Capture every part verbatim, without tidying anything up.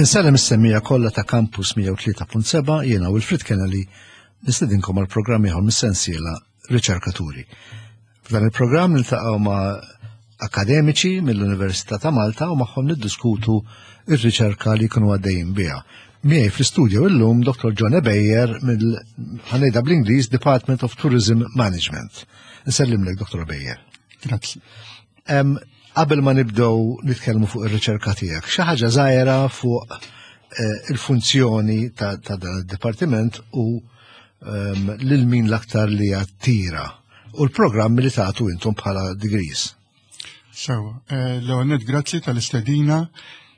Insellem is-semmiegħa kollha ta' Campus mija u tlieta punt seba'. Jiena Wilfrid Kennedy nistedinkom għal programm ieħor mis-sensiela Riċerkaturi. F'dan il-programm niltaqgħu ma' akademiċi mill-Università ta' Malta u magħhom niddiskutu ir-riċerka li jkunu għaddejjin biha. Miegħi fl-istudio illum Doktor John Ebejer mill, ħa ngħidha bl-Ingliż, Department of Tourism Management. Nsellimlek, Doktor Ebejer. Grazzi. Qabel ma nibdew nitkellmu fuq ir-riċerka tiegħek, xi ħaġa żgħira fuq eh, il-funzjoni ta' dan id-dipartiment u ehm, lil min l-aktar li jattira u l-programmi li tagħtu intom bħala degrees. Sewa, eh, l-ewwel grazzi tal-istedina.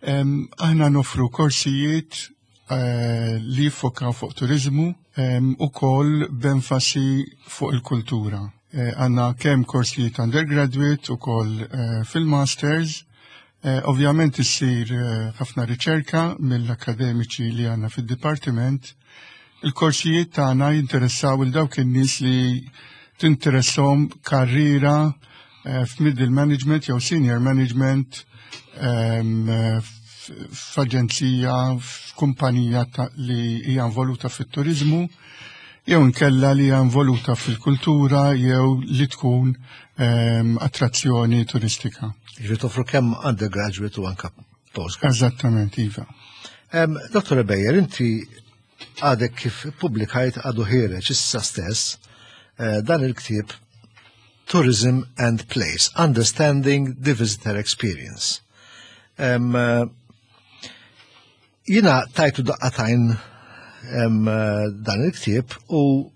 Aħna nofru korsijiet eh, li jiffokaw fuq turizmu u koll b'enfasi fuq il-kultura. Eh, għandna kemm korsijiet undergraduate u koll eh, fil-masters. Eh, ovvjament issir ħafna riċerka mill-akademiċi li għandna fil-dipartiment. Il-korsijiet tagħna jinteressaw il dawk in-nies li tinteressahom karriera f'middle management jew senior management ehm, f'aġenzija, f'kumpanija li hija involuta fit-turizmu jew inkella li hija involuta fil-kultura jew li tkun ehm, attrazzjoni turistika. Ġifieri toffru kemm undergraduate u anka postgraduate. Eżattament, iva. Um, Doktor Bejer, inti għadek kif publikajt, għadu ħiereġ issa stess, eh, dan il-ktieb Tourism and Place, Understanding the Visitor Experience. Um, jiena tajtu daqqa t'għajn dan il-ktieb u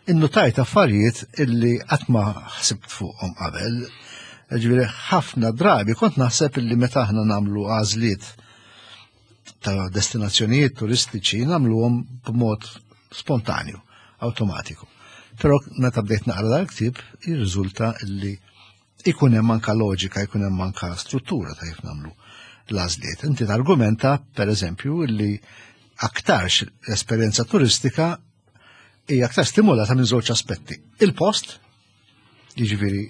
innutajt affarijiet illi qatt ma ħsibt fuqhom qabel. Ġifieri ħafna drabi kont naħseb illi meta aħna nagħmlu għażliet ta' destinazzjonijiet turistiċi nagħmluhom b'mod spontanju, automatiku. Però meta bdejt naqra dal-ktieb jirriżulta illi ikun hemm anka loġika, ikun hemm anka struttura ta' kif nagħmlu l-għażliet. Inti targumenta, per eżempju, illi aktarx l-esperjenza turistika hija aktar stimolata minn żewġ aspetti. Il-post, jiġifieri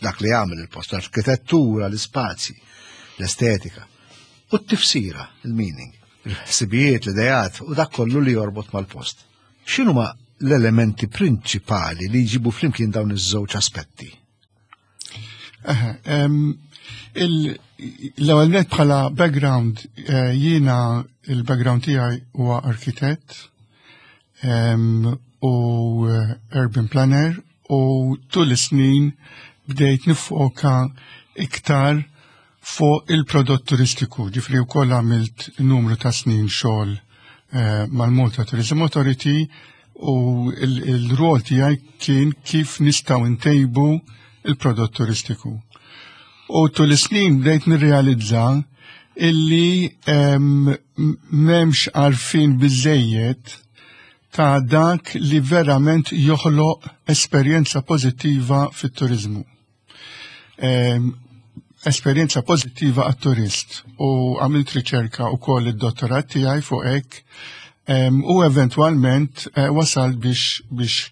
dak li jagħmel il-post, l-arkitettura, l-ispazji, l-estetika, u t-tifsira, il-meaning, il-ħsibijiet, l-idejat u dak kollu li jorbot mal-post. X'inhuma l-elementi prinċipali li jġibu flimkien dawn iż-żewġ aspetti? L-ewwel net, bħala background, eh, jiena il-background tiegħi huwa arkitett u eh, urban planner u tul is-snin bdejt nifoka iktar fuq il-prodott turistiku, ġifieri wkoll għamilt numru ta' snin xogħol eh, mal-Malta Tourism Authority u il-rol tiegħi kien kif nistgħu ntejbu il-prodott turistiku. U tul is-snin bdejt nirrealizza illi m'hemmx għarfien biżejjed ta' dak li verament joħloq esperjenza pożittiva fit-turizmu. Esperjenza pożittiva għat-turist, u għamilt riċerka u koll id-dottorat tiegħi fuq hekk u eventwalment eh, wasal biex biex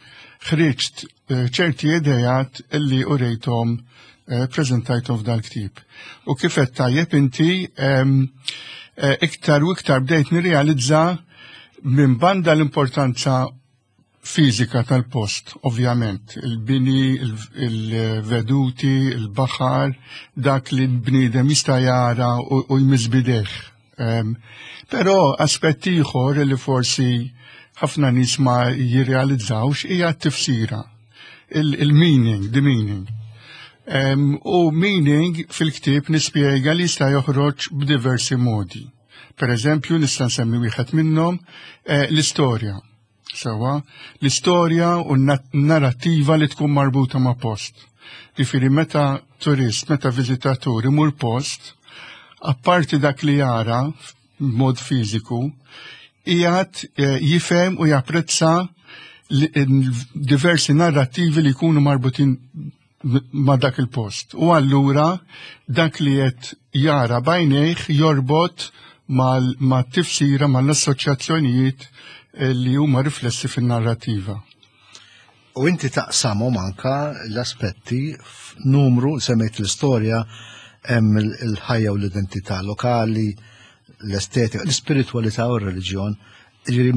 ħriġt eh, ċerti idejat illi urejthom, eh, prezentajthom f'dal-ktieb. U kif qed tajjeb inti, iktar u iktar bdejt nirrealizza minn banda l-importanza fizika tal-post, ovvjament, il-bini, il-veduti, il-baħar, dak li l-bniedem jista' jara u jmiss b'idejh. Però aspett ieħor li forsi ħafna nies ma jirrealizzawx hija t-tifsira, il-meaning, the meaning. U meaning fil-ktieb nispjega li jista' joħroġ b'diversi modi. Per eżempju, nista' nsemmi wieħed minnhom, eh, l-istorja. Sewa, l-istorja u n-narrativa li tkun marbuta ma' post. Ġifieri meta turist, meta viżitatur imur post, apparti dak li jara b'mod fiżiku, qiegħed eh, jifhem u japprezza diversi narrativi li jkunu marbutin ma' dak il-post. U allura dak li qed jara b'għajnejh jorbot ma' tifsira, mal-assoċjazzjonijiet eh, li huma riflessi fin-narrativa. U inti taqsamhom anka l-aspetti f'numru, semmejt l-istorja, hemm il-ħajja u l-identità lokali, l-estetika, l-ispiritualità u r-reliġjon, ġifieri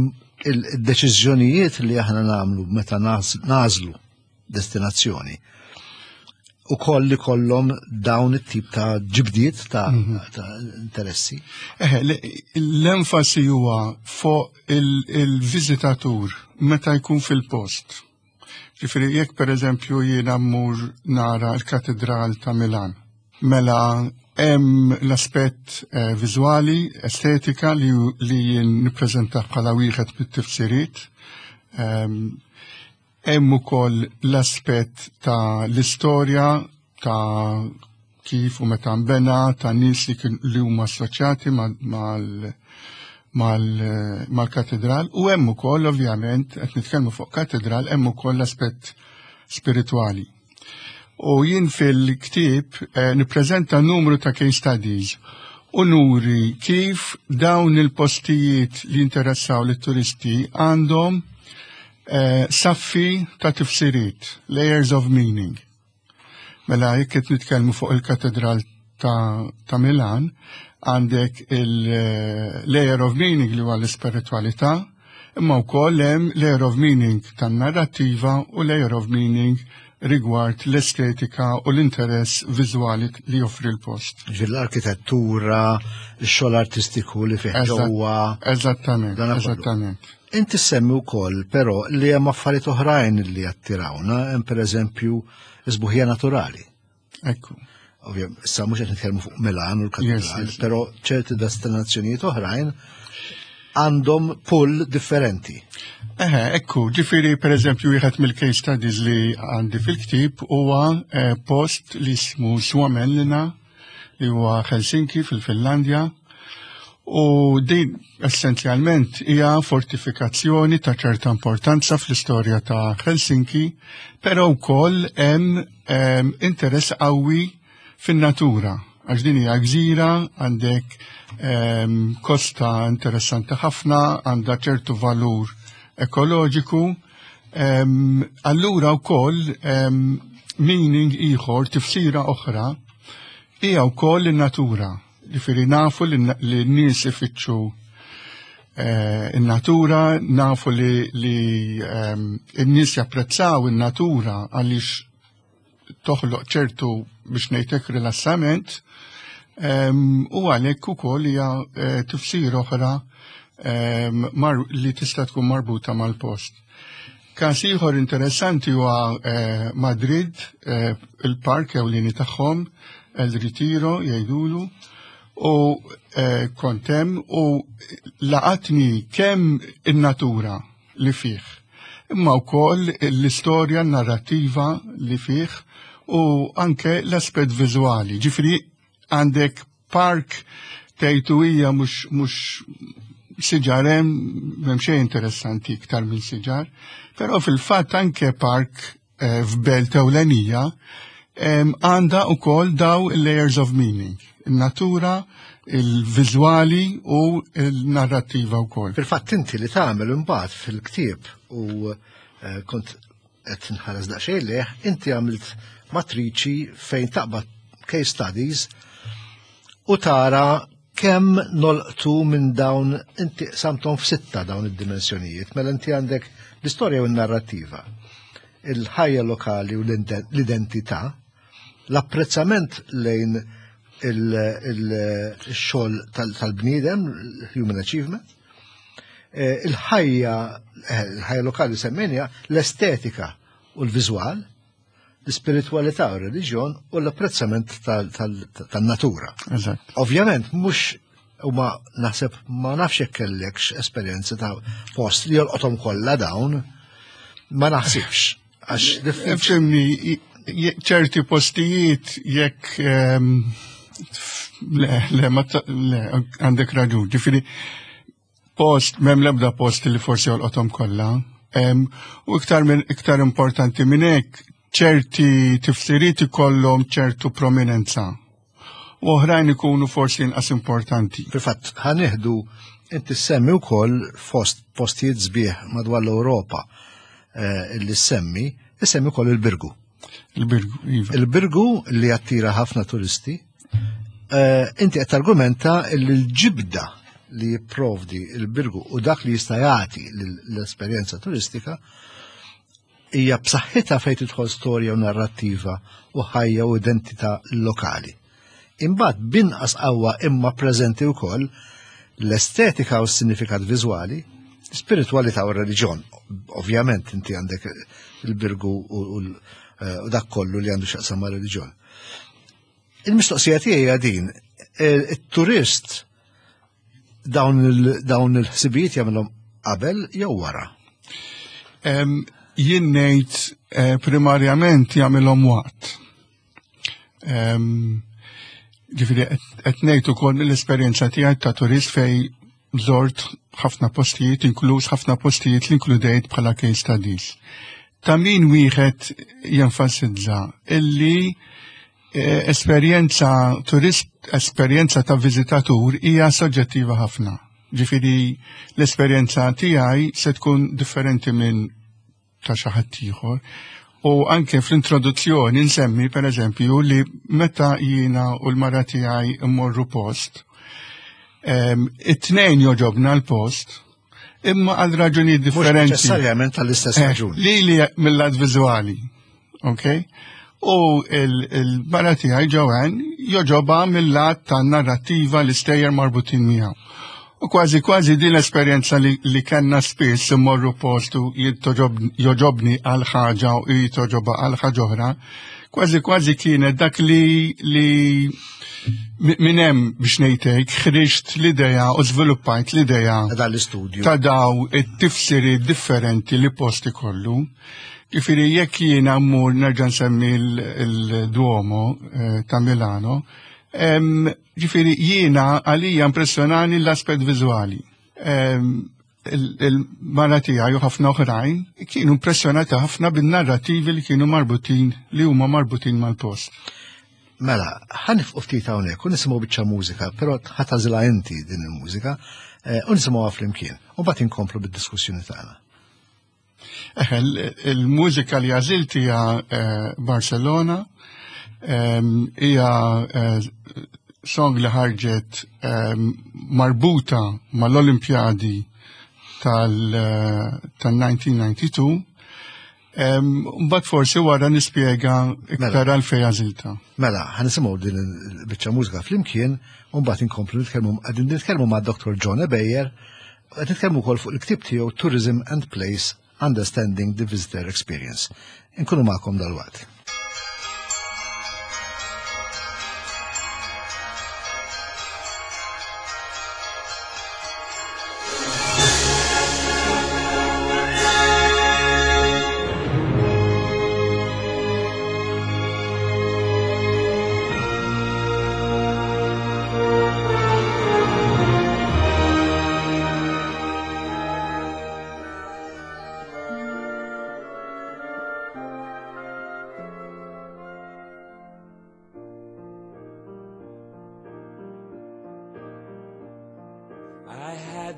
il-deċiżjonijiet li aħna nagħmlu meta nagħżlu destinazzjoni u koll li kollhom dawn it-tip ta' ġibdiet ta', mm -hmm. ta interessi. Eh, l-enfasi huwa fuq il-viżitatur meta jkun fil-post. Ġifieri jekk pereżempju jiena mmur nara l-Katedral ta' Milan, mela hemm l-aspett eh, viżwali, estetika li, li jien nippreżenta bħala wieħed mit-tifsiriet. Um, hemm ukoll l-aspett ta' l-istorja ta' kif u meta nbena, ta' nies li, li huma assoċjati mal-katedral u hemm ukoll ovvjament qed nitkellmu fuq katedral hemm ukoll l-aspett spiritwali. U jien fil-ktieb eh, nippreżenta numru ta' case studies u nuri kif dawn il-postijiet li interessaw lit-turisti għandhom eh, saffi ta' tifsiriet, layers of meaning. Mela jekk qed nitkellmu fuq il-katedral ta', ta' Milan, għandek il-layer of meaning li huwa l-ispiritualità, imma wkoll hemm layer of meaning tan-narrattiva u layer of meaning rigward l-estetika u l-interess viżwali li joffri l-post. Ġifieri l-arkitettura, il-xogħol artistiku li fih ġewwa. Eżattament, eżattament. Inti semmi wkoll però li hemm affarijiet oħrajn li attirawna, hemm pereżempju sbuħija naturali. Ekku. Ovvja, issa mhux qed nitkellmu fuq Milan u l-katedral, però ċerti destinazzjonijiet oħrajn għandhom pull differenti. Eħe, ekku, ġifieri per eżempju wieħed mill-case studies li għandi fil-ktib huwa eh, post li jismu Suomenlinna li huwa Helsinki fil-Finlandja u din essenzjalment hija fortifikazzjoni ta' ċerta importanza fl-istorja ta' Helsinki, però wkoll hemm interess qawwi fin-natura għax din hija gżira, għandek um, kosta interessanti ħafna, għandha ċertu valur ekoloġiku. Um, allura wkoll um, meaning ieħor, tifsira oħra, hija wkoll in-natura. Ġifieri nafu li n-nies ifittxu eh, in-natura, nafu li, li um, n-nies japprezzaw in-natura għaliex toħloq ċertu biex ngħidlek rilassament u għalhekk ukoll hija eh, tifsir oħra li tista' tkun marbuta mal-post. Każ ieħor interessanti huwa eh, Madrid, eh, il-park ewlieni tagħhom, El Retiro jgħidulu, u kont hemm u laqatni kemm in-natura li fih, imma wkoll l-istorja narrattiva li fih u anke l-aspett viżwali. Ġifieri għandek park tgħidu hija mhux mhux siġar hemm m'hemm xejn interessanti iktar minn siġar, però fil-fatt anke park eh, f'belt ewlenija għandha wkoll daw layers of meaning, in-natura, il-viżwali u l-narrattiva wkoll. Fil-fatt inti li tagħmel imbagħad fil-ktieb u eh, kont qed nħares daqsxejn leh, inti għamilt matriċi fejn taqbad case studies u tara kemm nolqtu minn dawn inti qsamthom f'sitta dawn id-dimensjonijiet, mela inti għandek l-istorja u n-narrattiva, il-ħajja lokali u l-identità, l-apprezzament lejn il-xogħol tal-bniedem, human achievement, eh, il-ħajja eh, il-ħajja lokali semmejna, l-estetika u l-viżwal, l-spiritualità u r-reliġjon u l-apprezzament tal-natura. Eżatt. Ovvjament, mhux u ma naħseb ma nafx jekk kellekx esperjenza ta' post li jolqothom kollha dawn, ma naħsibx. Għax diffiċli. Ifhimni, ċerti postijiet jekk ehm, le, le, ma ta- le, għandek raġun. Ġifieri, post, m'hemm lebda post li forsi jolqothom kollha. Em, U iktar minn iktar importanti minn hekk, ċerti tifsiriet ikollhom ċertu prominenza. U oħrajn ikunu forsi inqas importanti. Fil-fatt, ħa nieħdu inti semmi wkoll fost postijiet sbieħ madwar l-Ewropa eh, illi semmi, issemmi wkoll il-Birgu. Il-Birgu, iva. Il-Birgu li attira ħafna turisti, Eh, inti qed targumenta li l-ġibda li jipprovdi il-Birgu u dak li jista' jagħti l-esperjenza turistika hija b'saħħitha fejn tidħol storja u narrattiva u ħajja u identità lokali. Imbagħad binqas qawwa imma preżenti wkoll l-estetika u s-sinifikat viżwali, spiritualità u reliġjon. Ovvjament inti għandek il-Birgu u u dak kollu li għandu x'jaqsam ma' reliġjon. Il-mistoqsija tiegħi hija din, it-turist dawn il-ħsibijiet jagħmilhom qabel jew wara? Jien ngħid primarjament jagħmilhom waqt. Ġifieri qed ngħid ukoll mill-esperjenza tiegħi ta' turist fejn żort ħafna postijiet, inkluż ħafna postijiet li inkludejt bħala case studies. Ta' min wieħed jenfasizza illi esperjenza turist, esperjenza ta' viżitatur hija soġġettiva ħafna. Ġifieri l-esperjenza tiegħi se tkun differenti minn ta' xi ħadd ieħor. U anke fl-introduzzjoni nsemmi pereżempju li meta jiena u l-mara tiegħi mmorru post, it-tnejn joġobna l-post, imma għal raġunijiet differenti. Mhux neċessarjament għall-istess raġuni. Li li mill-lat viżwali, ok? U il-mara tiegħi Joanne joġobha mill-lat ta' narrattiva l-istejjer marbutin miegħu. U kważi kważi din l-esperjenza li, li kellna spiss immorru postu joġobni għal ħaġa u jitoġobha għal ħaġa oħra, kważi kważi kienet dak li li minn hemm biex ngħidlek ħriġt l-idea u żviluppajt l-idea ta' l-istudju ta' daw it-tifsiri differenti li posti kollu. Ġifieri jekk jiena mmur nerġa' nsemmi l-Duomo ta' Milano, ġifieri jiena għalija impressjonani l-aspett viżwali. Il-mara tiegħi u ħafna oħrajn kienu impressjonati ħafna bin-narrativi li kienu marbutin, li huma marbutin mal-post. Mela, ħa nifqu ftit hawnhekk u nisimgħu biċċa mużika, però ħa tagħżilha inti din il-mużika u nisimgħuha flimkien. U mbagħad inkomplu bid-diskussjoni tagħna. Il-mużika li għażilt hija Barcelona, hija song li ħarġet marbuta mal-Olimpjadi tal-nineteen ninety-two. Mbagħad forsi wara nispjega iktar għalfejn għażiltha. Mela, ħa nisimgħu din il-biċċa mużika flimkien u mbagħad inkomplu nitkellmu, qegħdin nitkellmu ma' Doctor John Ebejer, qed nitkellmu wkoll fuq il-ktieb tiegħu Tourism and Place: Understanding the Visitor Experience. Inkunu magħkom dalwaqt.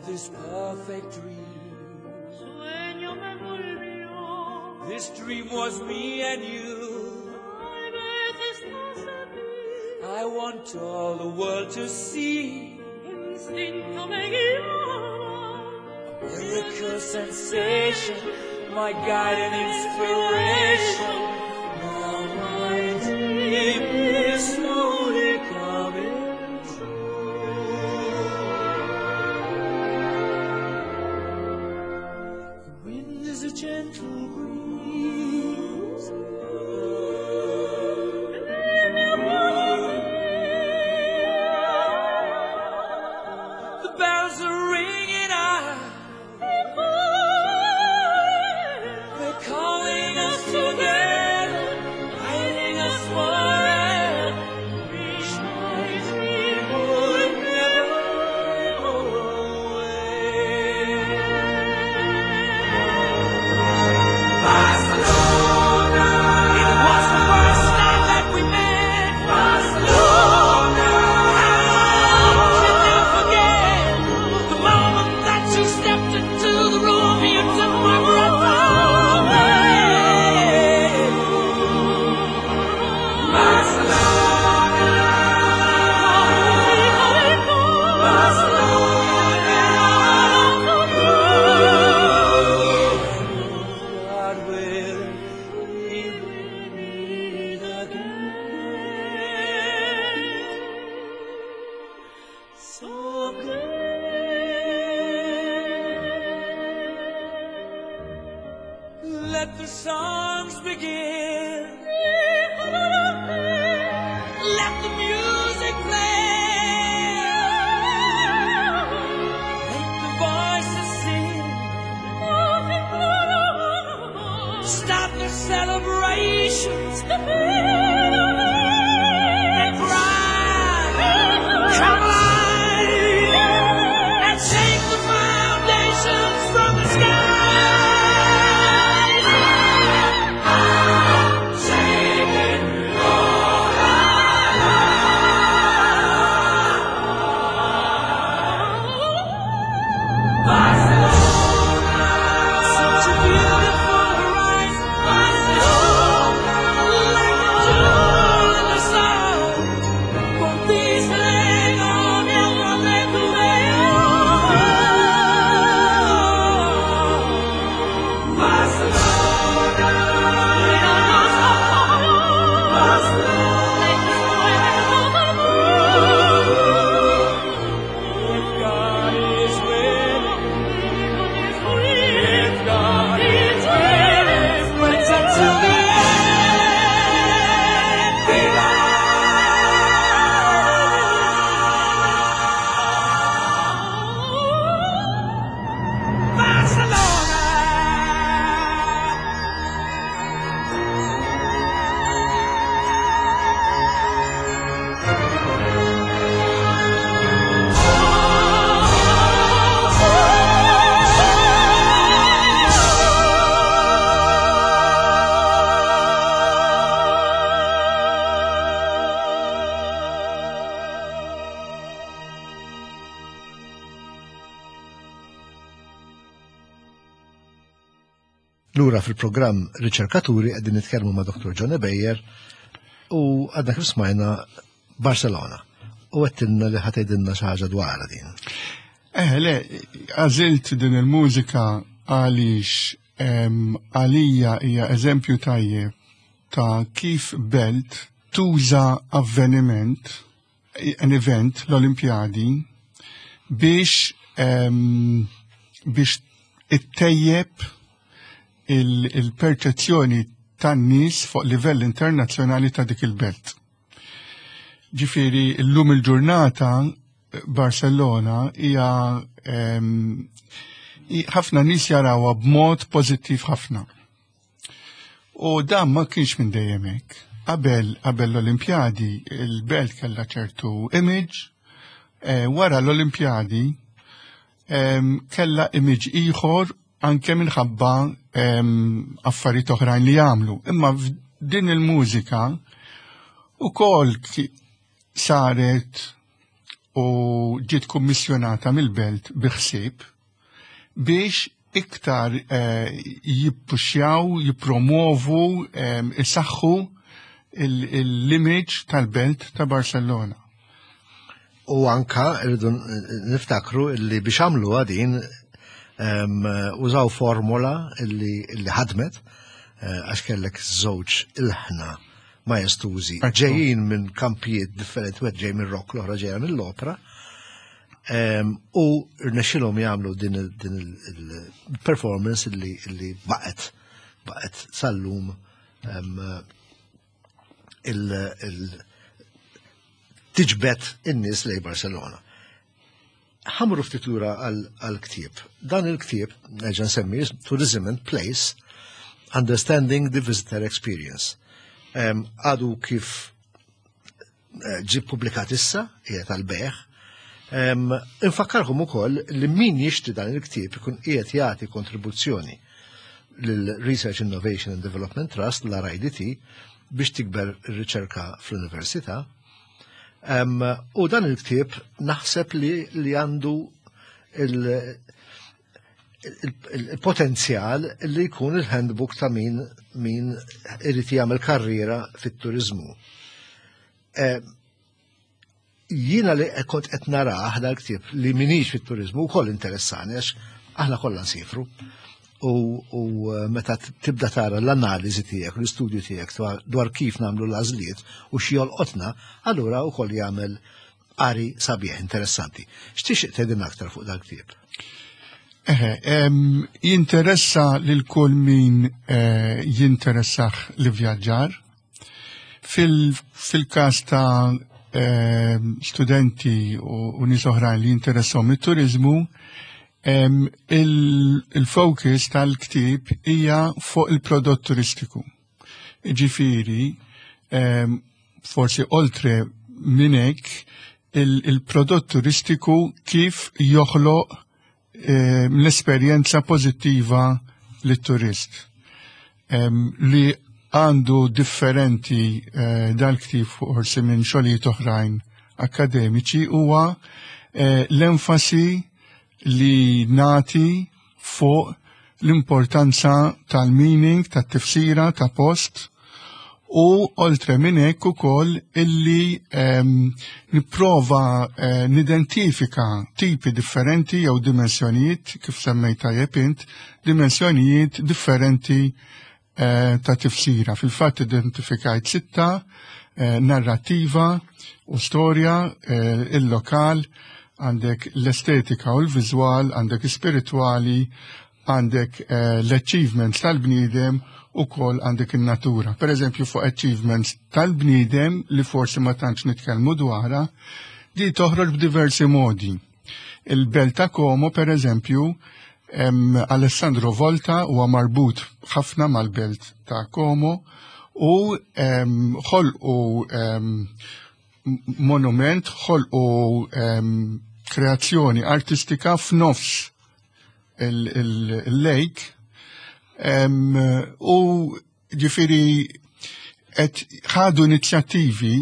This perfect dream. This dream was me and you. I want all the world to see. A miracle sensation, my guide and inspiration. Now my dream is slowly coming. Gentle breeze. The bells are ringing out. They're calling us together, guiding us forever. Wish my dream would never go away. Let the songs begin. Let the music play. Make the voices sing. Stop the celebrations and cry, come alive, and shake the foundations from the sky. Such a beautiful horizon, like a jewel in the sun. Won't these hang on If God is willing, if God is willing, wait until the end. Viva! Barcelona! Lura fil-programm Riċerkaturi qegħdin nitkellmu ma' Dr. John Beyer u għadna kif smajna Barcelona. U għedtilna li ħa tgħidilna xi ħaġa dwarha din. Eh, le, għażilt din il-mużika għaliex em, għalija hija eżempju tajjeb ta' kif belt tuża avveniment, an event, l-Olimpjadi, biex em, biex ittejjeb il- il-perċezzjoni tan-nies fuq livell internazzjonali ta' dik il-belt. Ġifieri, llum il-ġurnata Barcelona hija em, i- ħafna nies jarawha b'mod pożittiv ħafna. U dan ma kienx minn dejjem hekk. Qabel qabel l-Olimpjadi il-belt kellha ċertu image, eh, wara l-Olimpjadi em, kellha image ieħor anke minħabba em, affarijiet oħrajn li jagħmlu. Imma din il-mużika ukoll ki- saret u ġiet kummissjonata mill-belt bi ħsieb biex iktar eh, jippuxjaw, jippromovu, eh, isaħħu l-image tal-belt ta' Barcelona. U anka rridu niftakru illi biex għamlu din em, użaw formula illi, illi ħadmet eh, għax kellek żewġ ilħna majestużi Ekku. ġejjin minn kampijiet differenti, wieħed ġej minn rock, l-oħra ġejja mill-opera. Em, u rnexxilhom jagħmlu din il- din il-performance illi, illi baqgħet baqgħet sal-lum em, il, il, tiġbed in-nies lejn Barcelona. Ħa mmorru ftit lura għal-ktieb. Dan il-ktieb, nerġa' nsemmi, Tourism and Place, Understanding the Visitor Experience. Em, Għadu kif eh, ġi publikat issa, qiegħed għal-bejgħ. Em, Infakkarkom ukoll li min jixtri dan il-ktieb ikun qiegħed jagħti kontribuzzjoni lil-Research Innovation and Development Trust, l-RIDT, biex tikber ir-riċerka fl-università. Em, u dan il-ktieb naħseb li, li għandu il- il- il-potenzjal li jkun il-handbook ta' min, min irid jagħmel karriera fit-turizmu. Eh, Jiena li kont qed narah dal-ktieb li minix fit-turizmu wkoll interessani għax aħna kollha nsifru. U, u eh, meta tibda tara l-analiżi tiegħek, l-istudju tiegħek dwar- dwar kif nagħmlu l-għażliet u x'jolqotna, allura wkoll jagħmel qari sabiħ interessanti. X'tixtieq tgħidilna aktar fuq dal-ktieb? Eħe, jinteressa lil kull min eh, jinteressah l-ivvjaġġar. Fil-każ ta' studenti u nies oħrajn li jinteressahom it-turizmu, il-focus tal-ktib hija fuq il-prodott turistiku. Ġifieri, forsi oltre minn hekk, il-prodott turistiku kif joħloq l-esperjenza pożittiva lit-turist li għandu differenti eh, dal-ktib forsi minn xogħlijiet oħrajn akademiċi huwa eh, l-enfasi li nagħti fuq l-importanza tal-meaning, tat-tifsira, ta' post u oltre minn hekk ukoll illi um, nipprova uh, nidentifika tipi differenti jew dimensjonijiet, kif semmejt tajjeb int, dimensjonijiet differenti uh, ta' tifsira. Fil-fatt identifikajt sitta, uh, narrativa u storja, uh, il-lokal, għandek l-estetika u l-viżwal, għandek spirituali, għandek uh, l-achievements tal-bniedem u kol għandek il-natura. Per eżempju, fuq achievements tal-bniedem li forsi ma tantx nitkellmu dwarha, di toħroġ b'diversi modi. Il-belt ta' Como, per eżempju, Alessandro Volta huwa marbut ħafna mal-belt ta' Como u ħolqu monument, ħolqu kreazzjoni artistika f'nofs il-lake u ġifieri qed ħadu inizjattivi,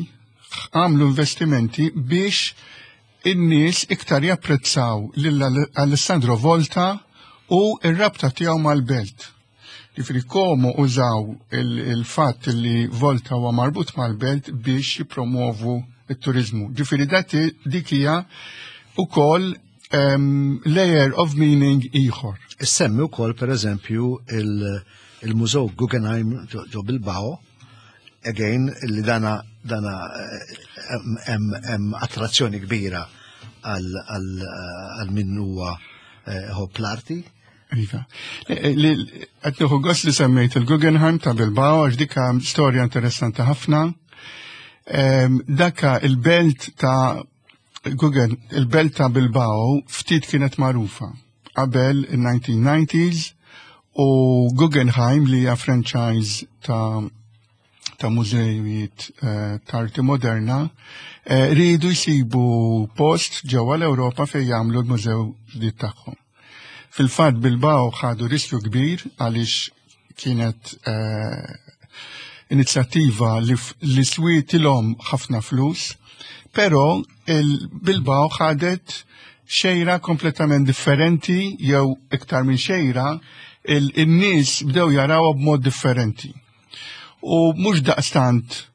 għamlu investimenti biex in-nies iktar japprezzaw lil Alessandro Volta u ir-rabta tiegħu mal-belt. Ġifieri Como użaw il-fatt li Volta huwa marbut mal-belt biex jipromovu it-turizmu. Ġifieri dik hija ukoll um, layer of meaning ieħor. Issemmi wkoll pereżempju il-Mużew Guggenheim ġo Bilbao, again li dana dana hemm attrazzjoni kbira għal min huwa iħobb l-arti. Iva. Qed nieħu gost li semmejt il-Guggenheim ta' Bilbao għax dika storja interessanti ħafna. Daka il-belt ta' Guggen, il-belt ta' Bilbao ftit kienet magħrufa qabel il-nineteen nineties u Guggenheim, li hija franchise ta' ta' mużejiet eh, ta' arti moderna, eh, rridu jsibu post ġewwa l-Ewropa fejn jagħmlu l-mużew ġdid tagħhom. Fil-fatt Bilbao ħadu riskju kbir għaliex kienet eh, inizjattiva li, li swietilhom ħafna flus, però il-Bilbao ħadet xejra kompletament differenti jew iktar minn xejra, il-nies bdew jaraw b'mod differenti. U mhux daqstant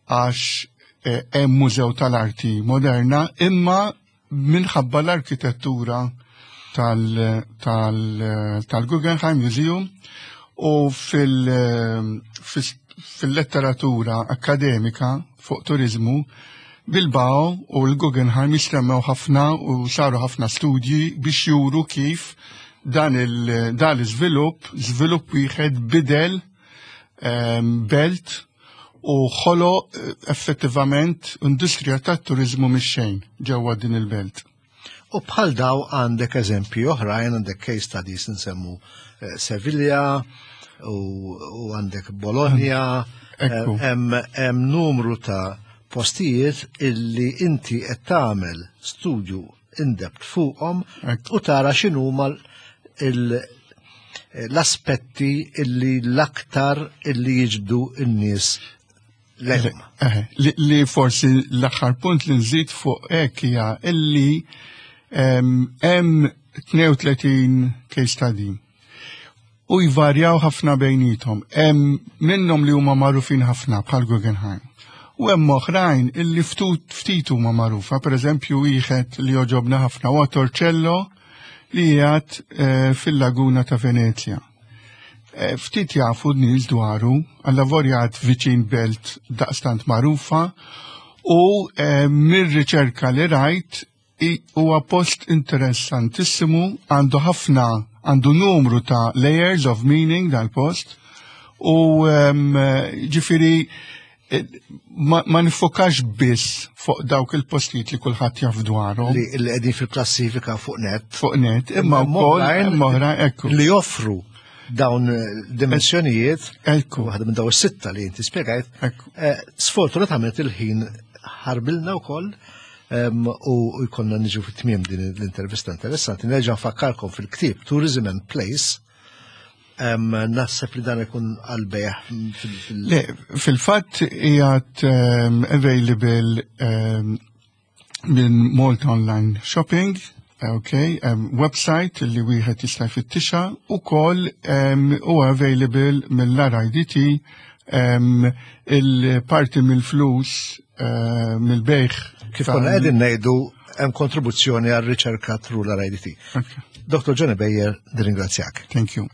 għax eh, hemm mużew tal-arti moderna, imma minħabba l-arkitettura tal-Guggenheim Museum u fil-letteratura akademika fuq turizmu, Bilbao u l-Guggenheim jissemmew ħafna u saru ħafna studji biex juru kif dan il-żvilupp, żvilupp wieħed bidel belt u ħolo effettivament industrija tat-turizmu mix-xejn ġewwa din il-belt. U bħal daw għandek eżempji oħrajn, għandek case studies, nsemmu eh, Sevilla u għandek Bologna, hemm numru ta' postijiet illi inti qed tagħmel studju in-depth fuqhom u tara x'inhuma l-aspetti illi l-aktar illi jiġbdu n-nies lejhom. Li forsi l-aħħar punt li nżid fuq hekk hija illi hemm tnejn u tletin case study u jvarjaw ħafna bejnietom. Hemm minnhom li huma magħrufin ħafna bħal Guggenheim. U hemm oħrajn illi ftit huma magħrufa, pereżempju wieħed li jogħġobna ħafna huwa Torcello li qiegħed eh, fil-Laguna ta' Venezia. Eh, ftit jafu n-nies dwaru, għallavolja viċin belt daqstant magħrufa u eh, mir-riċerka li rajt i- huwa post interessantissimu, għandu ħafna, għandu numru ta' layers of meaning dal-post, u um, ġifieri eh, ma, ma nifokax biss fuq dawk il-postijiet li kulħadd jaf dwarhom Li li qegħdin fil-klassifika fuq net. Fuq net, imma wkoll oħrajn imma oħrajn, ekku. li joffru dawn eh, dimensjonijiet, Ekku. waħda minn dawn is-sitta li inti spjegajt. Ekku. eh, Sfortunatament il-ħin ħarbilna wkoll em, u jkollna niġu fit-tmiem din l-intervista interessanti. Nerġa' nfakkarkom fil-ktieb Tourism and Place. Em, Naħseb li dan ikun għal-bejgħ fil- fil- Le, fil-fatt qiegħed um, available um, minn Malta Online Shopping, okay, um, website li wieħed jista' jfittixha ukoll um, huwa available mill-R I D T. um, il-parti mill-flus uh, mill-bejgħ. Kif tal- konna qegħdin ngħidu, hemm kontribuzzjoni għal riċerka through l-R I D T. Okay. Doktor Johnny Beyer, nirringrazzjak. Thank you.